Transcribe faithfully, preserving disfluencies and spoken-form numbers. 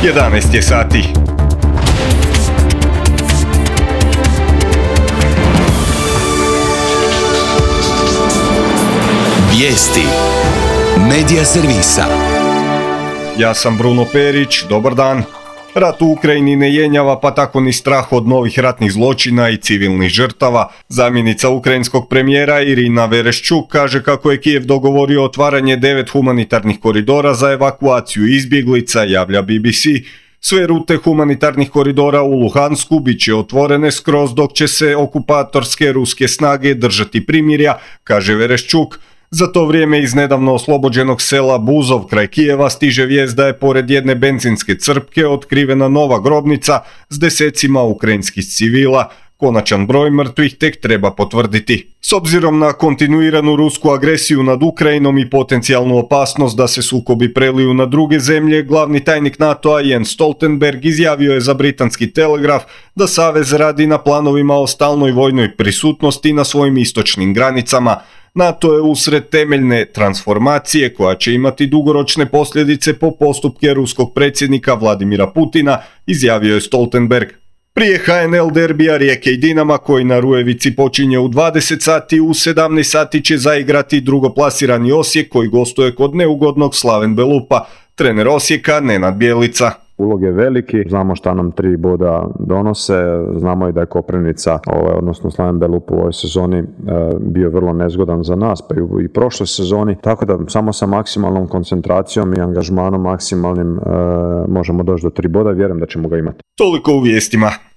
jedanaest je sati. Vijesti Medija servisa. Ja sam Bruno Perić, dobar dan. Rat u Ukrajini ne jenjava, pa tako ni strah od novih ratnih zločina i civilnih žrtava. Zamjenica ukrajinskog premijera Irina Vereshchuk kaže kako je Kijev dogovorio otvaranje devet humanitarnih koridora za evakuaciju izbjeglica, javlja B B C. Sve rute humanitarnih koridora u Luhansku bit će otvorene skroz dok će se okupatorske ruske snage držati primirja, kaže Vereshchuk. Za to vrijeme iz nedavno oslobođenog sela Buzov kraj Kijeva stiže vijest da je pored jedne benzinske crpke otkrivena nova grobnica s desecima ukrajinskih civila. Konačan broj mrtvih tek treba potvrditi. S obzirom na kontinuiranu rusku agresiju nad Ukrajinom i potencijalnu opasnost da se sukobi preliju na druge zemlje, glavni tajnik NATO-a Jens Stoltenberg izjavio je za britanski Telegraf da savez radi na planovima o stalnoj vojnoj prisutnosti na svojim istočnim granicama. NATO je usred temeljne transformacije koja će imati dugoročne posljedice po postupke ruskog predsjednika Vladimira Putina, izjavio je Stoltenberg. Prije H N L derbija Rijeke i Dinama koji na Rujevici počinje u dvadeset sati, u sedamnaest sati će zaigrati drugoplasirani Osijek koji gostuje kod neugodnog Slaven Belupa. Trener Osijeka Nenad Bjelica. Ulog je veliki, znamo šta nam tri boda donose, znamo i da je Koprivnica, ovaj, odnosno Slaven Belup u ovoj sezoni e, bio vrlo nezgodan za nas, pa i u i prošloj sezoni, tako da samo sa maksimalnom koncentracijom i angažmanom maksimalnim e, možemo doći do tri boda, vjerujem da ćemo ga imati. Toliko u vijestima.